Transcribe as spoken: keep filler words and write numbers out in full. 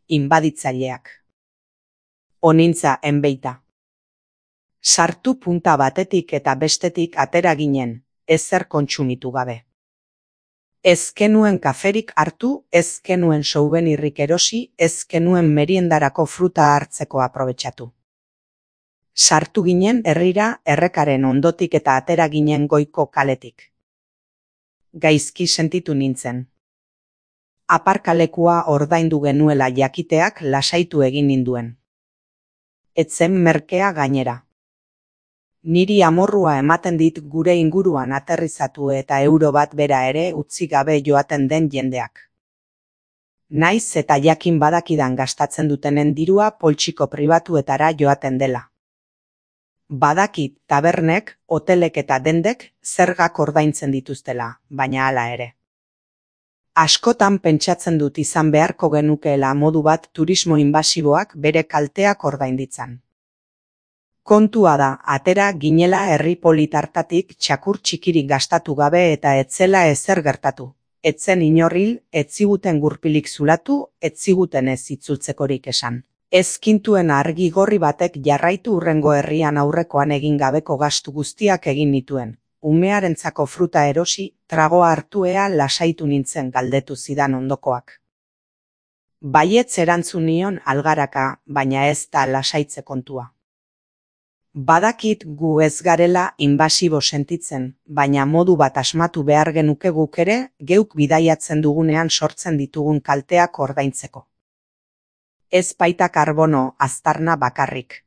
inbaditzaileak. Onintza enbeita. Sartu punta batetik eta bestetik atera ginen, ezer kontsumitu gabe. Ez genuen kaferik hartu, ez genuen souvenirrik erosi, ez genuen meriendarako fruta hartzeko aprobetxatu. Sartu ginen herrira errekaren ondotik eta atera ginen goiko kaletik. Gaizki sentitu nintzen. Aparkalekua ordaindu genuela jakiteak lasaitu egin ninduen. Etzen merkea gainera. Niri amorrua ematen dit gure inguruan aterrizatu eta euro bat bera ere utzi gabe joaten den jendeak. Naiz eta jakin badakidan gastatzen dutenen dirua poltsiko pribatuetara joaten dela. Badakit tabernek, hotelek eta dendek zergak ordaintzen dituztela, baina hala ere. Askotan pentsatzen dut izan beharko genukeela modu bat turismo inbasiboak bere kalteak ordainditzan. Kontua da, atera ginela herri polit hartatik txakur txikirik gastatu gabe eta etzela ezer gertatu. Etzen inorril, etziguten gurpilik zulatu, etziguten ez itzultzekorik esan. Ezkintuen argi gorri batek jarraitu hurrengo herrian aurrekoan egin gabeko gastu guztiak egin nituen. Umearentzako fruta erosi, tragoa hartuea lasaitu nintzen galdetu zidan ondokoak. Baietz erantzun nion algaraka, baina ez da lasaitze kontua. Badakit gu ez garela inbasibo sentitzen, baina modu bat asmatu behar genuke guk ere, geuk bidaiatzen dugunean sortzen ditugun kalteak ordaintzeko. Ez baita karbono aztarna bakarrik.